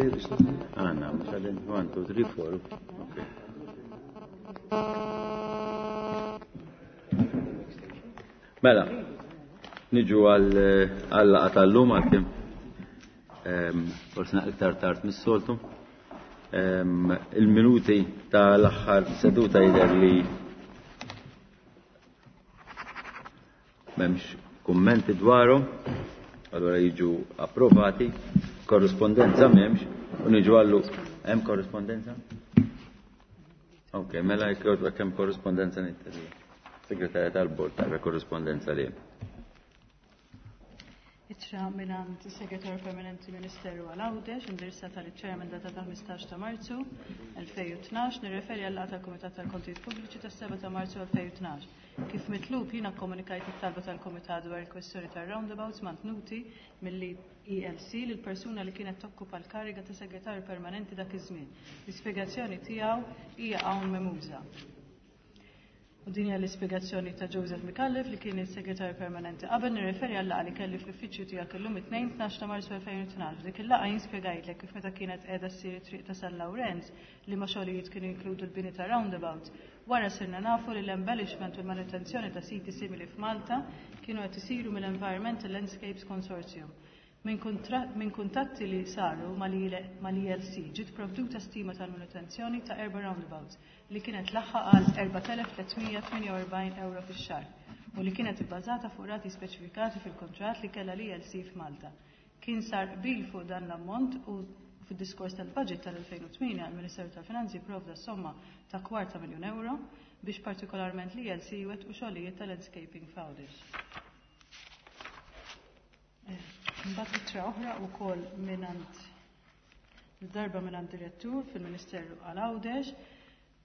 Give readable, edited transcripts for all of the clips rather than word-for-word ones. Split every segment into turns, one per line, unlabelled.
Għanna, mux għadin, 1, 2, 3, 4. Okay. Mela, niġu għal-laqa tal-lum għal-kim. Forse iktar tard mis-soltu. Il-minuti tal-aħħar seduta jidher li m'hemmx kummenti dwarhom, allura jiġu approvati, korrispondenza m'hemmx, u niġu għallu hemm korrispondenza? Ok, mela jekk hemm korrispondenza nittelli. Segretarja tal-Bord tara korrispondenza li hemm.
Ittra mingħand is-Segretarju Permanenti Ministeru għal Għawdex, indirizzata liċ-Chairman data ta' 15 ta' Marzu 2012, nirreferi għal laqgħa tal-Kumitat tal-Kontijiet Pubbliċi tas-7 ta' Marzu 2012. Kif mitlub jiena kkomunikajt it-talba tal-Kumitat dwar il-kwestjoni tar-roundabouts mantnuti mill-ELC lil persuna li kienet tokkupa l-kariga ta' Segretarju Permanenti dak iż-żmien. L-ispjegazzjoni tiegħu hija hawn memuża. U din hija l-ispjegazzjoni ta' Joseph Micallef li kien is-Segretarju Permanenti. Qabel nirreferi għal laqgħa li kelli fl-uffiċċju tiegħek illum it-Tnejn 12 ta' Marzu 2012. F'dik il-laqgħa jien spjegajtlek kif meta kienet qiegħda ssir it-triq ta' San Lawrenz li ma xogħlijiet kienu jinkludu l-bini ta' roundabouts. Wara sirna nafu li l-embellishment u l-manutenzjoni ta' siti simili f'Malta kienu qed isiru mill-Environmental Landscapes Consortium. Minn kuntatti li saru mal-ELC ġiet provduta stima tal-manutenzjoni ta' erba' roundabouts li kienet laħħaq għal 4,348 euro fix-xahar u li kienet ibbażata fuq rati speċifikati fil-kuntratt li kellha l-ELC f'Malta. Kien sar qbil fuq dan l-ammont u fid-diskors tal-budget tal-2008 il-Ministeru tal-Finanzi provda somma ta' kwarta miljun euro biex partikolarment l-ELC jwettqu xogħlijiet tal-landscaping f'Għawdex. Mbagħad ittra oħra wkoll mingħand darba mingħand direttur fil-Ministeru għal Għawdex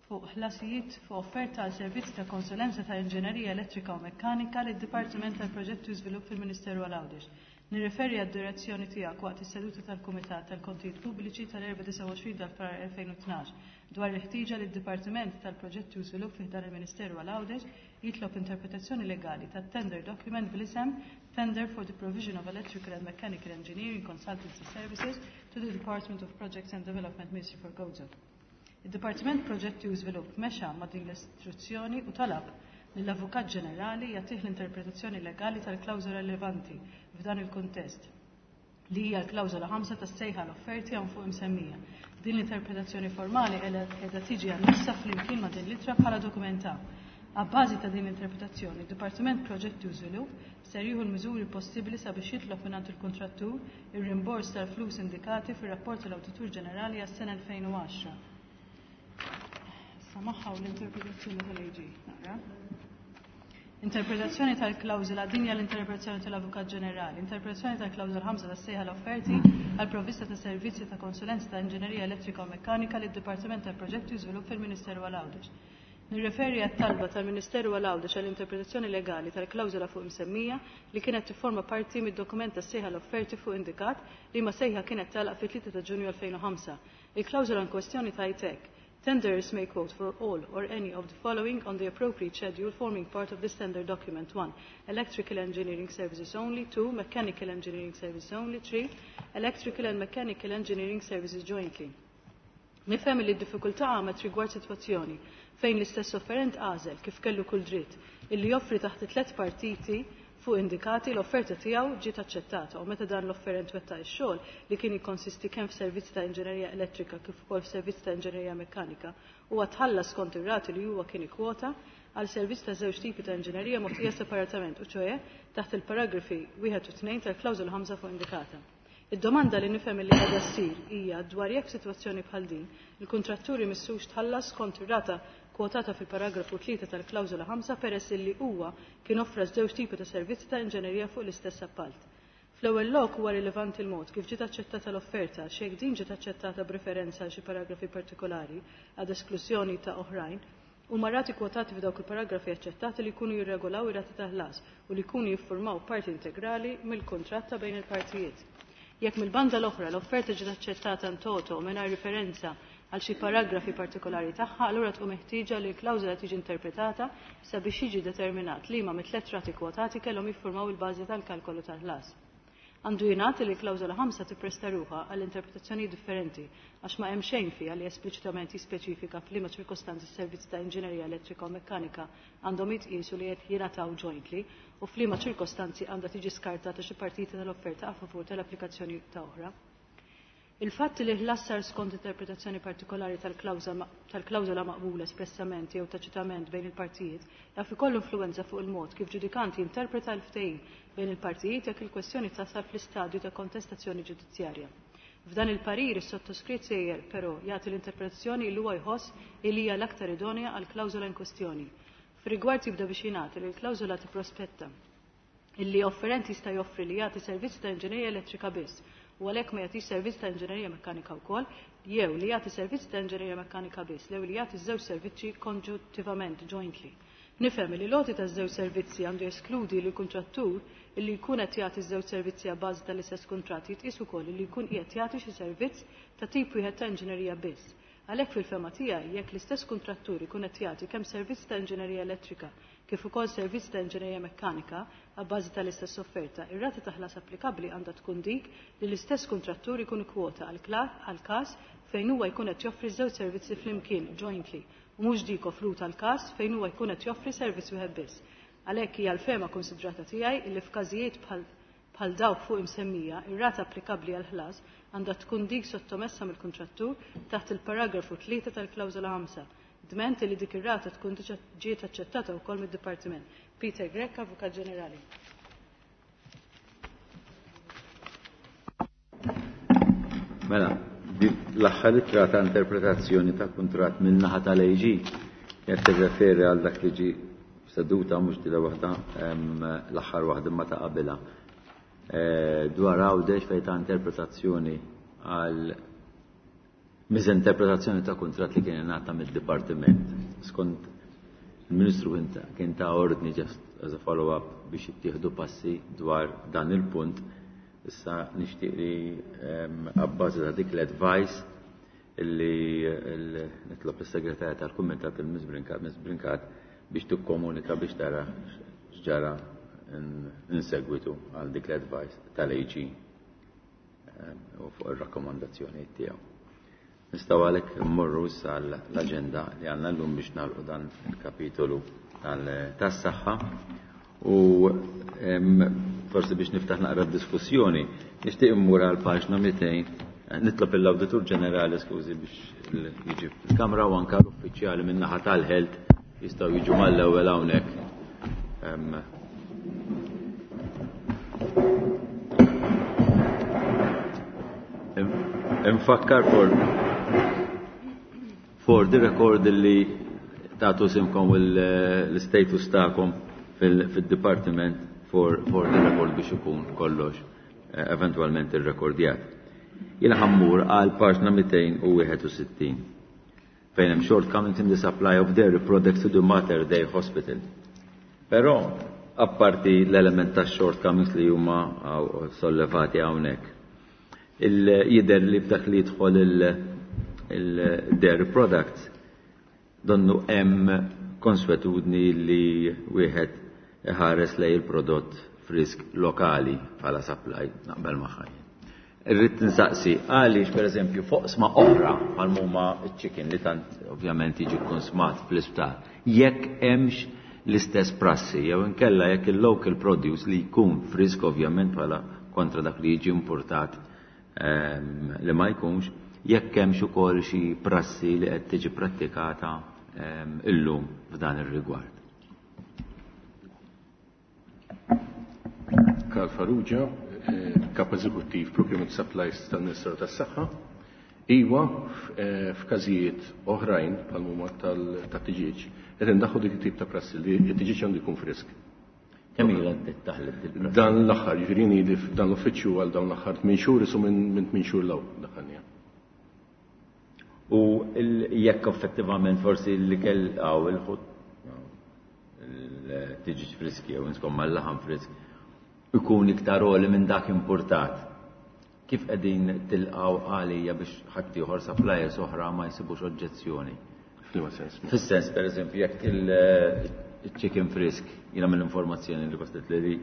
fuq ħlasijiet fuq offerta għal servizzi ta' konsulenza ta' inġinerija elettrika u mekkanika lid Dipartiment tal-Proġetti u Żvilupp fil-Ministeru għal Għawdex. Nirreferi għad-direzzjoni tiegħek waqt is-seduta tal-Kumitat tal-Kontijiet Pubbliċi tal-24 ta' Frar 2012 dwar il-ħtieġa li d-Dipartiment tal-Proġetti u Żvilupp fi ħdan il-Ministeru għal Għawdex jitlob interpretazzjoni legali tat-tender document bl-isem Tender for the Provision of Electrical and Mechanical Engineering Consultancy Services to the Department of Projects and Development Ministry for Gozo. Id-Dipartiment Proġetti u Żvilupp mexa ma' din l-istruzzjoni u talab lill-Avukat Ġenerali jagħtih l-interpretazzjoni legali tal-klawżola rilevanti f'dan il-kuntest, li hija l-klawżola 5 tas-sejħa l-offerti hawn fuq imsemmija. Din l-interpretazzjoni formali qiegħda tiġi annessa flimkien ma' din l-ittra bħala dokument A. Abbażi ta' din l-interpretazzjoni, id-Dipartiment Proġetti u Żvilupp ser jieħu l-miżuri possibbli sabiex jitlob mingħand il-kuntrattur ir-rimbors tal-flus indikati fir-rapport tal-Awditur Ġenerali għas-sena 2010. Issa magħha u l-interpretazzjoni tal-AG. Naqra. Interpretazzjoni tal-klawżola, din hija l-interpretazzjoni tal-Avukat Ġenerali. Interpretazzjoni tal-klawżola 5 tas-sejħa l-offerti għal provvista ta' servizzi ta' konsulenza ta' inġinerija elettrika u mekkanika lid-Dipartiment tal-Proġetti u Żvilupp fil-Ministeru għal Għawdex. Nirreferi għat-talba tal-Ministeru għal Għawdex għall-interpretazzjoni legali tal-klawżola fuq imsemmija li kienet tifforma parti mid-dokument tas-sejħa l-offerti fuq indikat li ma sejħa kienet tagħlaq fit-3 ta' Ġunju 2005. Il-klawżola in kwestjoni tgħid hekk. Tenderers may quote for all or any of the following on the appropriate schedule forming part of this tender document. 1. Electrical engineering services only. 2. Mechanical engineering services only. 3. Electrical and mechanical engineering services jointly. Nifhem li d-diffikultà għamet rigward sitwazzjoni fejn l-istess offerent għażel kif kellu kull dritt illi joffri taħt tliet partiti fuq indikati l-offerta tiegħu ġiet aċċettata u meta dan l-offerent wettaq ix-xogħol li kien jikkonsisti kemm f'servizz ta' inġinerija elettrika kif ukoll f'servizz ta' inġinerija mekkanika huwa tħallas skont ir-rati li huwa kien ikkwota għal servizz ta' żewġ tipi ta' inġinerija mogħtija separatament u ċoe taħt il-paragrafi 1 u 2 tal-klawżola 5 fuq indikata. Id-domanda li nifhem li qiegħda ssir hija dwar jekk sitwazzjoni bħal din il-kuntratturi missux tħallas skont ir-rata kwotata fil-paragrafu 3 tal-klawżola 5 peress illi huwa kien offra żewġ tipi ta' servizzi ta' inġinerija fuq l-istess appalt. Fl-ewwel lok huwa rilevanti l-mod kif ġiet aċċettata l-offerta x'jekk din ġiet aċċettata b'referenza għal xi paragrafi partikolari ad esklużjoni ta' oħrajn, huma rati kwotati f'dawk il-paragrafi aċċettati li jkunu jirregolaw ir-rati ta' ħlas u li jkunu jiffurmaw parti integrali mill-kuntratt ta' bejn il-partijiet. Jekk mill-banda l-oħra l-offerta ġiet aċċettata in toto mingħajr riferenza għal xi paragrafi partikolari tagħha, allura tkun meħtieġa li l-klawżola tiġi interpretata sabiex jiġi determinat liema mit-tliet rati kwotati kellhom jiffurmaw il-bażi tal-kalkolu tal-ħlas. Għandu jingħad li l-klawżola 5 tippresta ruħha għal interpretazzjonijiet differenti għax ma hemm xejn fiha li espliċitament jispeċifika f'liema ċirkostanzi s-servizzi ta' inġinerija elettrika u mekkanika għandhom jitqiesu li qed jingħataw jointly u f'liema ċirkostanzi għandha tiġi skartata xi partita tal-offerta a favur tal-applikazzjoni ta' oħra. Il-fatt li ħlas sar skont interpretazzjoni partikolari tal-klawżola maqbula espressament jew taċitament bejn il-partijiet jaf ikollu influwenza fuq il-mod kif ġudikant jinterpreta l-ftehim bejn il-partijiet jekk il-kwestjoni tasal fl-istadju ta' kontestazzjoni ġudizzjarja. F'dan il-parir is-sottoskritt sejjer però jagħti l-interpretazzjoni li huwa jħoss li hija l-aktar idonea għall-klawżola in kwestjoni. Fir-rigward jibda biex jingħad li l-klawżola tipprospetta illi offerent jista' joffri li jagħti servizz ta' inġinerija elettrika biss u għalhekk ma jagħtix servizz ta' inġinerija mekkanika wkoll, jew li jagħti servizz ta' inġinerija mekkanika biss, jew li jagħti żewġ servizzi konġuntivament, jointly. Nifhem li l-għoti ta' żewġ servizzi għandu jeskludi li kuntrattur illi jkun qed jagħti żewġ servizzi a bażi tal-istess kuntratt jitqies ukoll li jkun qiegħed jagħti xi servizz ta' tip wieħed ta' inġinerija biss. Għalhekk fil-fehma tiegħi jekk l-istess kuntrattur ikun qed jagħti kemm servizz ta' inġinerija elettrika kif ukoll servizz ta' inġinerija mekkanika abbażi tal-istess offerta, ir-rata ta' ħlas applikabbli għandha tkun dik li l-istess kuntrattur ikun ikkwota għal każ fejn huwa jkun qed joffri żewġ servizzi flimkien jointly u mhux dik offruta għal każ fejn huwa jkun qed joffri servizz wieħed biss. Għalhekk hija l-fehma konsidrata tiegħi illi f'każijiet bħal dawk fuq imsemmija, ir-rata applikabbli għal ħlas għandha tkun dik sottomessa mill-kuntrattur taħt il-paragrafu 3 tal-klawżola 5, dment li dik ir-rata tkun diġà ġiet aċċettata wkoll mid-Dipartiment. Peter Grech, Avukat Ġenerali.
Mela, l-aħħar ittra ta' interpretazzjoni ta' kuntratt minn naħa tal-AG qed tirreferi għal dak li ġie seduta mhux dila waħda, l-aħħar waħda ma ta' qabilha. Dwar Għawdex fejn ta' interpretazzjoni għal miżinterpretazzjoni ta' kuntratt li kien ingħata mid-dipartiment. Skont il-Ministru kien ta' ordni just as a follow-up biex jittieħdu passi dwar dan il-punt. Issa nixtieq li abbażi ta' dik l-advice illi nitlob is-segretarja tal-Kumitat, il-Ms Brincat, Ms Brincat, biex tikkomunika biex tara x'ġara in segwitu għal dik l-advice tal-AG u fuq ir-rakkomandazzjoni tiegħu. Nistgħu għalhekk immorru issa l-aġenda li għandna llum biex nagħlqu dan il-kapitolu tas-saħħa u forsi biex niftaħ naqra diskussjoni, nixtieq immur għal paġna 200, nitlob l-Awditur Ġenerali, skużi, biex jiġi fil-kamra u anka l-uffiċjali min-naħa tal-Health jistgħu jiġu mal-ewwel hawnhekk. Infakkar for the record li tagħtu isimkom l-status tagħkom fil-departiment for the record biex ikun kollox eventualment irrekordjat. Jiena ħa mmur għal paġna 261 fejn hemm shortcomings in the supply of dairy products to the Mater Dei Hospital. Però apparti l-element ta' shortcomings li huma sollevati hawnhekk, jidher li f'dak li jidħol il-dairy products donnu hemm konswetudni li wieħed iħares lej il-prodott frisk lokali bħala supply, naqbel magħha. Irrid nsaqsi għaliex, pereżempju, f'oqsma oħra bħal huma chicken li tant ovvjament jiġi konsmat fl-isptar, jekk hemmx l-istess prassi jew inkella jekk il-local produce li jkun frisk ovvjament bħala kontra dak li jiġi importat li ma jkunx, jekk hemmx ukoll xi prassi li qed tiġi prattikata illum f'dan ir-rigward.
Karl Farrugia, Kap Eżekuttiv Procurement Supplies tal-Ministeru tas-Saħħa. Iwa, f'każijiet oħrajn bħal huma tat-tiġieġ, qed indaħħu dik it-tip ta' prassi li t-tiġieġ għandu jkun frisk.
Kemm ilha tiddaħħel il
Dan l-aħħar, jiġifieri li f'dan l-uffiċċju għal dawn l-aħħar 8 xhur, isu minn 8 xhur 'l hawn daħħalniha.
U jekk effettivament forsi l-ikel għaw il-ħut, il-tiġiġ friski jew insomma l-laħam frisk ikun iktar għoli minn dak importat, kif qegħdin tilqaw għalija biex ħaddieħor, suppliers oħra, ma jsibux oġġezzjoni?
F'liema sens?
Fis-sens, per eżempju, jekk il-chicken frisk, jiena mill-informazzjoni li waslet li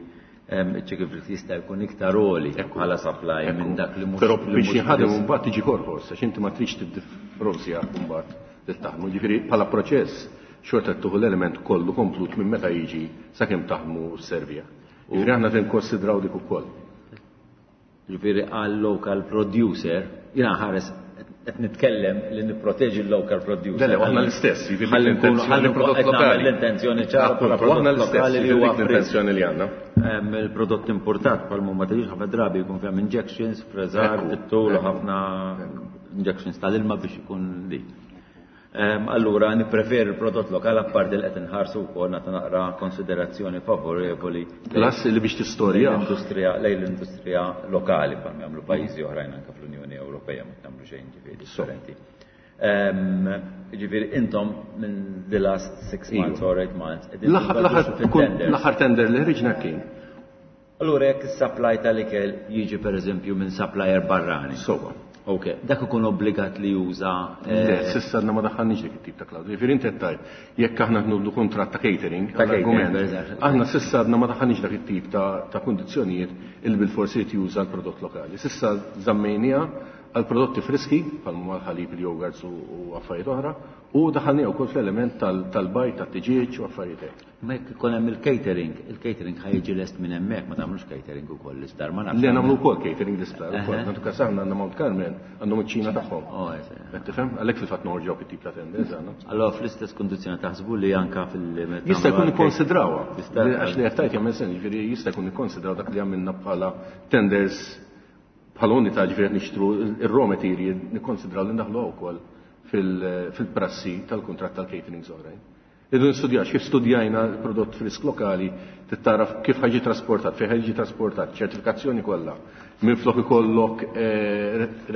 Iċ-chicken frisk jista' jkun iktar għoli bħala supply minn dak li mhux.
Però biex jinħadem imbagħad tiġi korħos, għax inti ma tridx tiddifrozja mbagħad li taħdmu. Ġifieri bħala proċess xorta tieħu l-element kollu komplut minn meta jiġi sakemm taħdmu s-servija. Ġifieri aħna tinkonsidraw dik ukoll.
Ġifieri għal local producer, jiena ħares qed nitkellem li nipproteġi l-local producer.
Le, aħna l-istess,
jiġifieri ħalli nkunu ħalli prodott lokali. L-intenzjoni ċara
bħala prodott lokali li huwa l-intenzjoni li għandna.
Il-prodott importat bħal ma tiġix ħafna drabi jkun fihom injections, freżar, fit-tul u ħafna injections tal-ilma biex ikun li. Allura nippreferi l-prodott lokal apparti li qed inħarsu wkoll nagħtu naqra konsiderazzjoni favorevoli.
Plus li biex tistorja.
L-industrija lejn l-industrija lokali bħal jagħmlu pajjiżi oħrajn anke fl-Unjoni Ewropea ma tagħmlu xejn ġifieri differenti. Ġifieri intom minn the last 6 months or 8 months.
L-aħħar tender li ħriġna kien.
Allura jekk is-supply tal-ikel jiġi pereżempju minn supplier barrani.
Sowa.
Ok, dak ikun obbligat li juża.
Le, s'issa għadna ma daħħalniex dik it-tip ta' klawżola. Jiġifieri inti qed tgħid jekk aħna nħuddu kuntratt ta' catering, għall-argument, aħna s'issa għadna ma daħħalniex dak it-tip ta' kundizzjonijiet illi bilfors irid juża l-prodott lokali. S'issa żammejniha għal prodotti friski, bħal huma l-ħalib, il-yogurts u affarijiet oħra, u daħħalniha wkoll fl-element tal-bajd, tat-tiġieġ u affarijiet hekk.
Ma jekk ikun hemm il-catering, il-catering ħa jiġi lest minn hemmhekk, ma tagħmlux catering ukoll l-isptar, ma nafx.
Le nagħmlu wkoll catering l-isptar ukoll. Nagħtu każ aħna għandna Mount Carmel, għandhom iċ-ċina tagħhom.
Oh, eżatt.
Qed tifhem? Għalhekk fil-fatt noħorġu dawk it-tip ta' tenders aħna.
Allora fl-istess kundizzjoni taħsbu li anke fil-
Jista' jkun ikkonsidrawha. Għax li qed tgħid jagħmel sens, jiġifieri jista' jkun ikkonsidraw dak li għamilna bħala tenders bħala unità, ġifieri qed nixtru ir-raw material, nikkonsidraw li ndaħluha wkoll fil-prassi tal-kuntratt tal-caterings oħrajn. Irridu nistudjaw kif studjajna l-prodott frisk lokali, trid tara kif ħa jiġi trasportat, fejn ħa jiġi trasportat, ċertifikazzjoni kollha. Minflok ikollok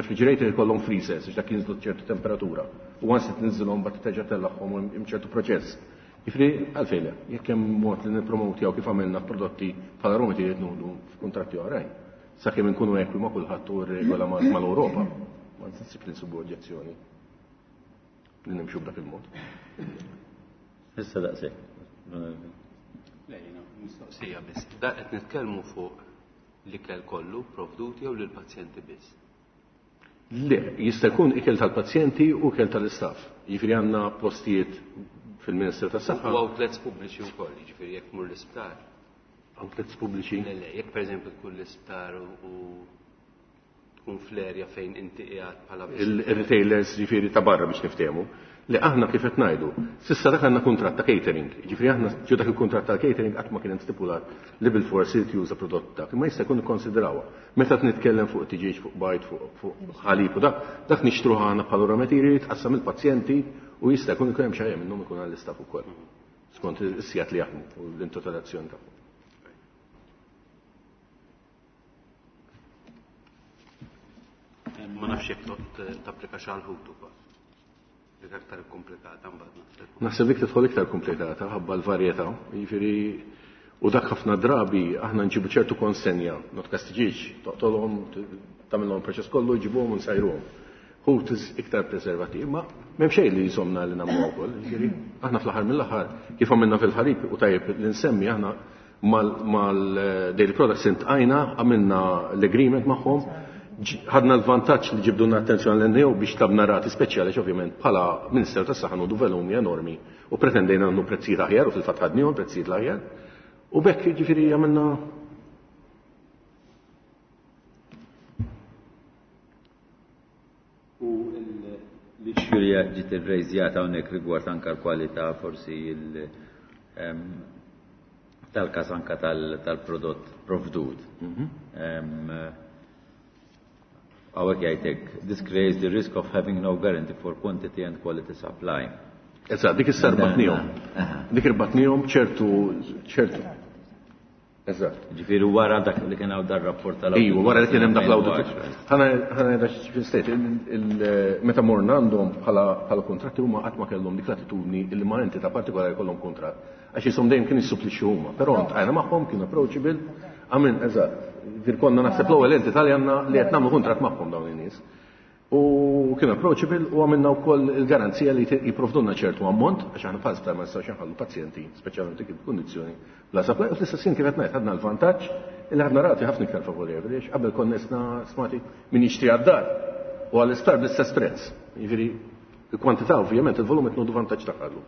refrigerator ikollhom freezers biex dak jinżlu ċertu temperatura. U once tinżilhom mbagħad terġa' tellagħhom hemm ċertu proċess. Jiġifieri għalfejn le, jekk hemm mod li nippromotjaw kif għamilna f'prodotti bħala raw material nieħdu f'kuntratti oħrajn. Sakemm inkunu ekwi ma' kulħadd u r-regola mal-Ewropa. Ma nsib li nsibu oġġezzjoni li nimxu b'dak il-mod.
Issa daqshekk.
Le, jiena mistoqsija biss. Da qed nitkellmu fuq l-ikel kollu provdut jew lill-pazjenti biss?
Le, jista' jkun ikel tal-pazjenti u ikel tal-istaff. Jiġifieri għandna postijiet fil-Ministeru tas-Saħħa.
U outlets pubbliċi wkoll, jiġifieri jekk tmur l-isptar.
Outlets pubbliċi?
Le, le, jekk pereżempju tkun l-isptar u tkun fl-erja fejn inti qiegħed bħala
Il-retailers ġifieri ta' barra biex niftehmu. Li aħna kif qed ngħidu, s'issa dak għandna kuntratt ta' catering. Ġifieri aħna ġo dak il-kuntratt tal-catering qatt ma kien hemm stipulat li bilfors irid juża prodott dak, imma jista' jkun ikkonsidrawha. Meta qed nitkellem fuq tiġieġ, fuq bajd, fuq ħalib u dak, dak nixtruh aħna bħala raw material jitqassam il-pazjenti u jista' jkun ikun hemm xi ħaġa minnhom ikun għall-istaff ukoll. Skont is-sigħat li jaħdmu u l-intitolazzjoni tagħhom.
Ma nafx jekk tot tapplika xi ħut ukoll. Dik aktar komplikata mbagħad naħseb.
Naħseb dik tidħol iktar komplikata ħabba l-varjetà, jiġifieri u dak ħafna drabi aħna nġibu ċertu konsenja, not kastiġiġ, toqtolhom, tagħmilhom proċess kollu, jġibuhom u nsajruhom. Ħut iktar preservativ, ma m'hemm xejn li jżomna li nagħmlu wkoll, jiġifieri aħna fl-aħħar mill-aħħar kif għamilna fil-ħalib u tajjeb li nsemmi aħna mal-Dairy Products intqajna, għamilna l-agreement magħhom, ħadna l-vantaġġ li ġibdulna attenzjoni l-NAO biex tlabna rati speċjali, ovvjament bħala Ministeru tas-Saħħa nħudu volumi enormi u pretendejna nagħmlu prezzijiet aħjar u fil-fatt ħadnihom prezzijiet l-aħjar. U bekk jiġifieri għamilna
U l-issue li ġiet irrejżjata hawnhekk rigward anke l-kwalità forsi tal-każ anke tal-prodott provdut. Hawnhekk jgħidlek, this creates the risk of having no guarantee for quantity and quality supply.
Eżatt, dik issa rbatnihom. Dik irbatnihom ċertu ċertu. Eżatt.
Ġifieri wara dak li kien hawn dar rapport tal
Ejju, wara li kien hemm dak l-audit. Ħana ħana state, meta morna għandhom bħala kontratti huma qatt ma kellhom dik l-attitudni li ma' entità partikolari jkollhom kuntratt. Għax jisom dejjem kien jissupplixxu huma, però ntqajna magħhom kienu approachable. Għamil, eżatt. Ġifieri konna naħseb l-ewwel entità li għandna li qed nagħmlu kuntratt magħhom dawn in-nies. U kien approachable u għamilna wkoll il-garanzija li jipprovdulna ċertu ammont, għax aħna bħal sptar ma nistgħux inħallu pazjenti, speċjalment dik il-kundizzjoni, bla supply. U fl-istess ħin kif qed ngħid ħadna l-vantaġġ li ħadna rati ħafna iktar favorevoli għax qabel konna isna smati min jixtri għad-dar u għall-isptar bl-istess prezz. Jiġifieri il-kwantità ovvjament il-volum qed nieħdu vantaġġ tagħha llum.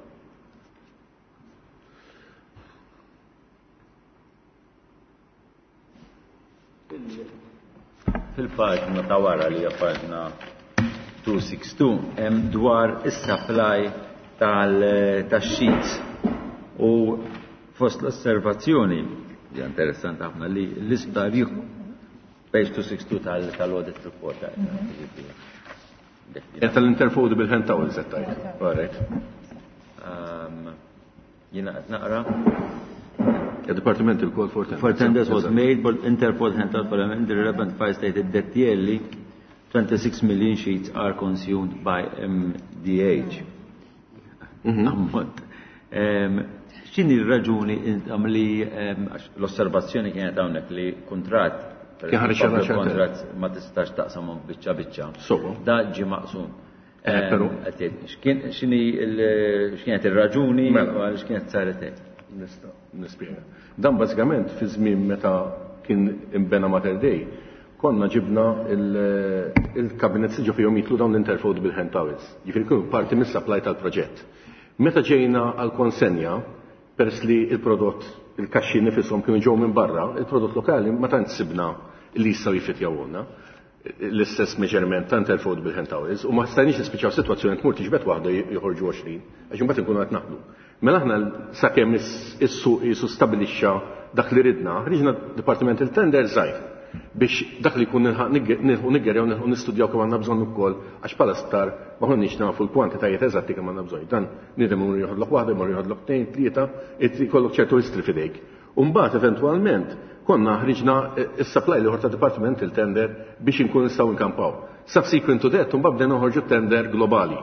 Fil-paġna ta' wara li hija paġna 262 hemm dwar is-supply tal-sheets u fost l-osservazzjoni hija interessanti ħafna li l-isptar jieħu page 262 tal-audit report.
Tal-interfoldable hand towels qed tgħid. All right.
Jiena qed naqra.
Il-Department il-call for tenders.
For tenders was made, but Interpol hand out for them, the relevant file stated that yearly 26 million sheets are consumed by MDH. Ammont. X'inhi r-raġuni intom li għax l-osservazzjoni kienet hawnhekk li kuntratt
Kien ħareġ għal xi
kuntratt ma tistax taqsamhom biċċa biċċa.
Sewwa.
Da ġie maqsum.
Però
X'inhi x'kienet ir-raġuni
Mela.
u għaliex kienet saret hekk?
Nista' nispjega. Dan bażikament fi żmien meta kien inbena Mater Dei, konna ġibna il-cabinets li ġo fihom jidħlu dawn l-interfoldable hand towels. Jiġifieri kienu parti mis-supply tal-proġett. Meta ġejna għall-konsenja, peress li l-prodott, il-kaxxi nifishom kienu ġew minn barra, il-prodott lokali ma tantx sibna li jistgħu jiffitjawulna l-istess measurement ta' interfoldable hand towels u ma stajniex nispiċċaw sitwazzjoni tmur tiġbed waħda joħorġu 20, għax imbagħad inkunu qed naħlu. Mela aħna sakemm is-suq qisu stabilixxa dak li ridna, ħriġna departmental tender żgħir biex dak li jkun nilħqu niggerjaw, nilħqu nistudjaw kemm għandna bżonn ukoll, għax bħala sptar ma konniex nafu l-kwantitajiet eżatti kemm għandna bżonn. Dan bniedem imur joħodlok waħda, imur joħodlok tnejn, tlieta, jkollok ċertu history f'idejk. U mbagħad eventwalment konna ħriġna s-supply l-ieħor ta' departmental tender biex inkunu nistgħu nkampaw. Subsequent to that, mbagħad bdejna noħorġu tender globali.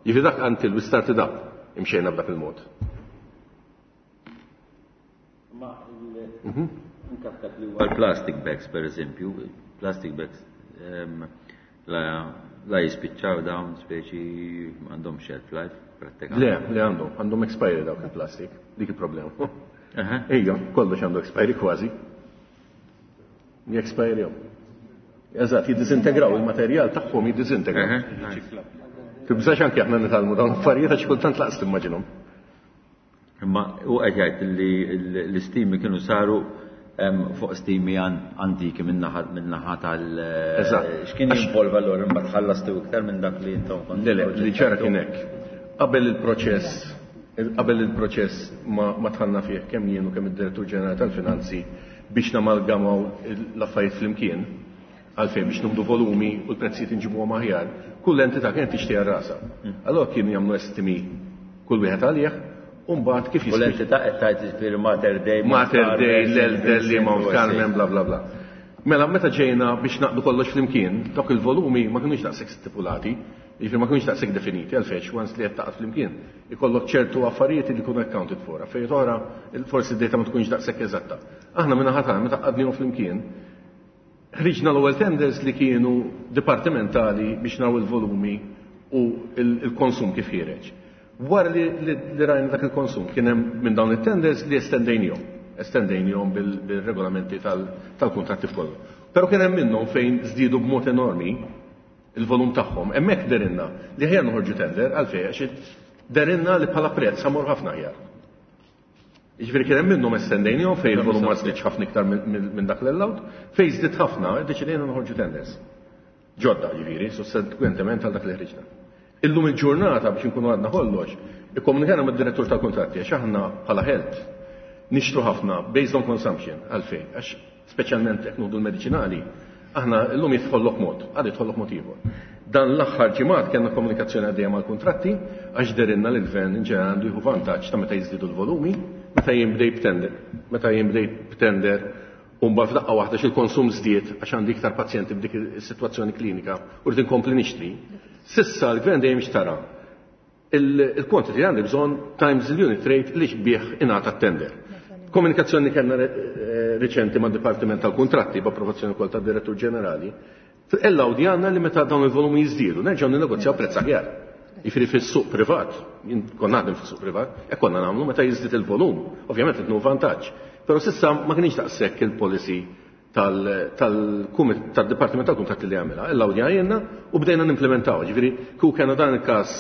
Jiġifieri dak until we started up imxejna b'dak il-mod.
Ma anke f'dak li huwa l-plastic bags per eżempju, plastic bags la jispiċċaw dawn speċi għandhom shelf life prattikament.
Le, le għandhom, għandhom expiry dawk il-plastic, dik il-problema. Ejja, kollox għandu expiry kważi. Jexpire. Eżatt, jiddisintegraw il-materjal tagħhom jiddisintegraw. Tibżax anke aħna nitgħallmu dawn l-affarijiet għax kultant laqas timmaġinhom.
Imma hu qed jgħid li l-istimi kienu saru fuq stimi antiki min-naħa tal X'kien jinvolva allura imbagħad ħallastu iktar minn dak li intom kontu?
Le, le, li ġara kien hekk. Qabel il-proċess, qabel il-proċess ma dħalna fih kemm jien u kemm id-Direttur Ġenerali tal-Finanzi biex namalgamaw l-affarijiet flimkien, għalfejn biex nieħdu volumi u l-prezzijiet inġibuhom aħjar, kull entità kienet tixtri għal rasha. Allura kienu jagħmlu estimi kull wieħed għalih, u mbagħad kif
U l-entità qed tgħid jiġifieri Mater Dei,
Mater Dei, l-Elder, li Mount
Mount
Carmen, bla bla bla. Mela meta ġejna biex naqdu kollox flimkien, dawk il-volumi ma kinux daqshekk stipulati, jiġifieri ma kinux daqshekk definiti għalfejn once li qed taqgħod flimkien, ikollok ċertu affarijiet li jkunu accounted for, affarijiet oħra forsi d-data ma tkunx daqshekk eżatta. Aħna minn naħa tagħna meta qgħadnihom flimkien, ħriġna l-ewwel tenders li kienu dipartimentali biex naraw il-volumi u il-konsum kif ħiereġ. Wara li rajna dak il-konsum kien hemm minn dawn it-tenders li estendejnihom, estendejnihom bil-regolamenti tal-kuntratti f'kollu. Però kien hemm minnhom fejn żdiedu b'mod enormi il-volum tagħhom. Hemmhekk derinna li ħjar noħorġu tender għalfejn għax derinna li bħala prezz ħamur ħafna aħjar. Jiġifieri kien hemm minnhom estendejnihom fejn il-volum ma żdiedx ħafna iktar minn dak l-allowed, fejn żdied ħafna iddeċidejna noħorġu tenders. Ġodda jiġifieri, sussequentement għal dak li ħriġna. Illum il-ġurnata biex inkunu għadna kollox, ikkomunikajna mad-direttur tal-kuntratti għax aħna bħala health nixtru ħafna based on consumption għalfejn, għax speċjalment jekk nieħdu l-mediċinali, aħna llum jidħollok mod, għad jidħollok mod ieħor. Dan l-aħħar ġimgħat kellna komunikazzjoni għaddejja mal-kuntratti għax derinna li l-gvern in ġenerali għandu jieħu vantaġġ ta' meta jiżdiedu l-volumi, meta jien bdej b'tender, meta jien bdej b'tender u mbagħad f'daqqa waħda x'il-konsum żdied għax għandi iktar pazjenti b'dik is-sitwazzjoni klinika u rrid inkompli nixtri. Sissa l-gvern dejjem xtara il-quantity li għandi bżonn times il-unit rate li bih ingħata t-tender. Komunikazzjoni kellna riċenti mad-Dipartiment tal-Kuntratti b'approvazzjoni wkoll tad-Direttur Ġenerali. Ella għandna li meta dawn il-volumi jiżdiedu, nerġgħu ninnegozjaw prezz aħjar. Jiġifieri fis-suq privat, jien kont naħdem fis-suq privat, hekk konna nagħmlu meta jiżdied il-volum, ovvjament qed vantaġġ. Però s'issa ma kienx daqshekk il-policy tal-Dipartiment tal-Kuntratti li għamilha. Ella jenna u bdejna nimplementaw. Ġifieri, kieku kellna dan il-każ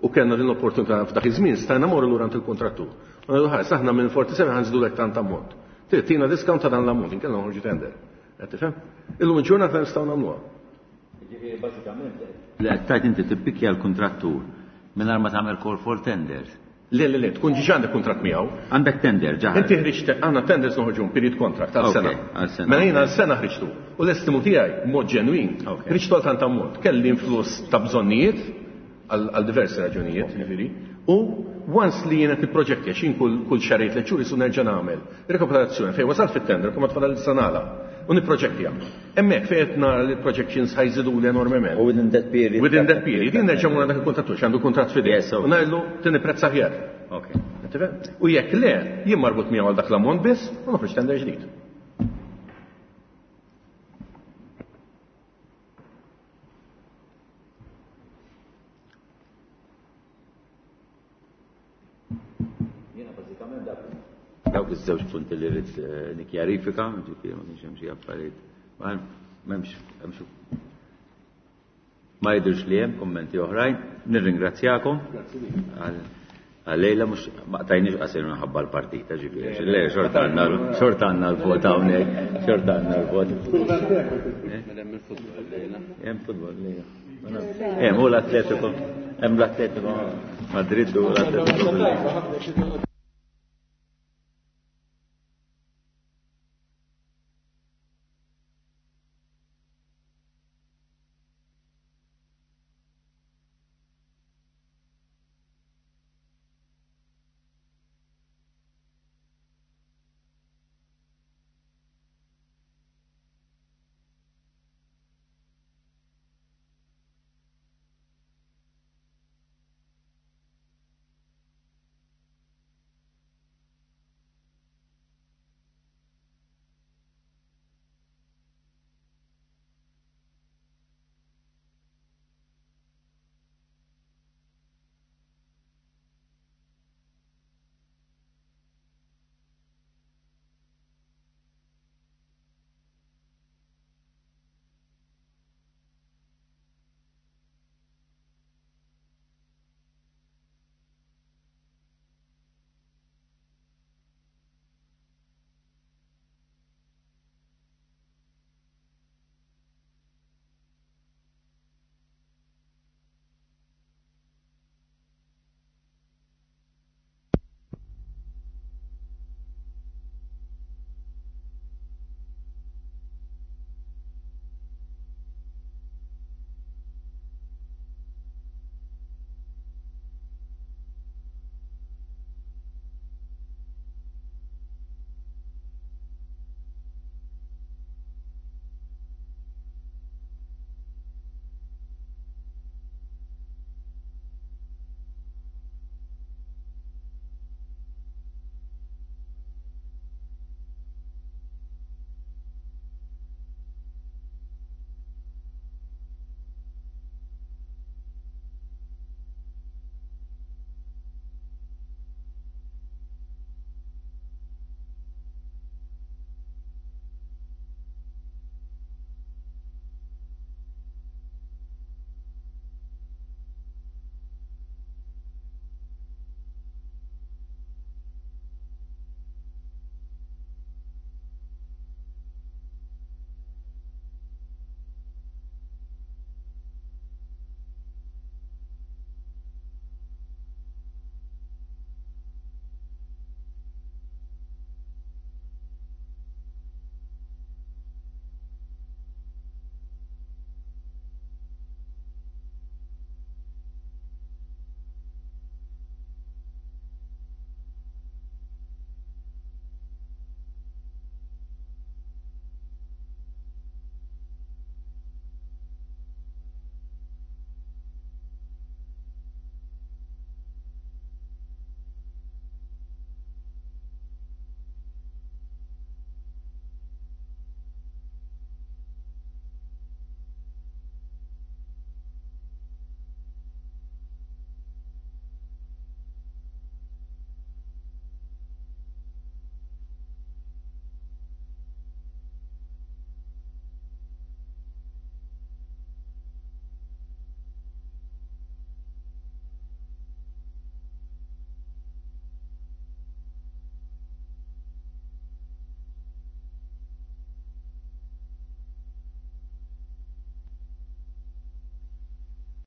u kellna din l-opportunità f'dak iż-żmien, stajna morru lura il-kontrattur. U ngħidu ħares, aħna minn 47 ħa nżidulek tant ammont. Trid tina discount ta' dan l-ammont, inkella noħorġu tender. Qed tifhem? Illum il-ġurnata nistgħu nagħmluha.
Ġifieri bażikament li qed tgħid inti tippikja l-kuntrattur mingħajr ma tagħmel call for tenders.
Le, le, le, tkun ġiġa għandek kuntratt miegħu.
Għandek tender, ġa.
Inti ħriġt, għandna tenders noħorġu period contract għal sena.
Għal sena.
Mela jiena għal sena ħriġtu. U l-estimu tiegħi mod ġenwin, ħriġtu għal tant ammont. Kelli influss ta' bżonnijiet għal diversi raġunijiet, ġifieri. U once li jiena tipproġetti għax jien kull xahrejn 3 xhur isu nerġa' nagħmel rekapitolazzjoni fejn wasalt fit-tender kemm tfadal sanala u niproġettja. Hemmhekk fejn qed nara li projections ħa jżiduli enormement.
U within that period.
Within that period, jien nerġa' mur dak il-kontrattur, għandu kuntratt f'idejh.
Yes, okay.
U ngħidlu tini prezz aħjar.
Ok.
U jekk le, jien marbut miegħu għal dak l-ammont biss u noħroġ tender ġdid.
Jiena bażikament dawk iż-żewġ punti li rrid nikkjarifika, ġifieri ma kienx hemm xi affarijiet. Ma m'hemmx hemm xi ma jidhirx li hemm kummenti oħrajn. Nirringrazzjakom għal-lejla mhux ma qtajniex qasir minħabba l-partita, ġifieri. Le, xorta għandna l-vot hawnhekk, xorta għandna l-vot.
Mela hemm il-futbol lejla.
Hemm futbol lejla. Hemm u l-Atletico, hemm l-Atletico Madrid u l-Atletico.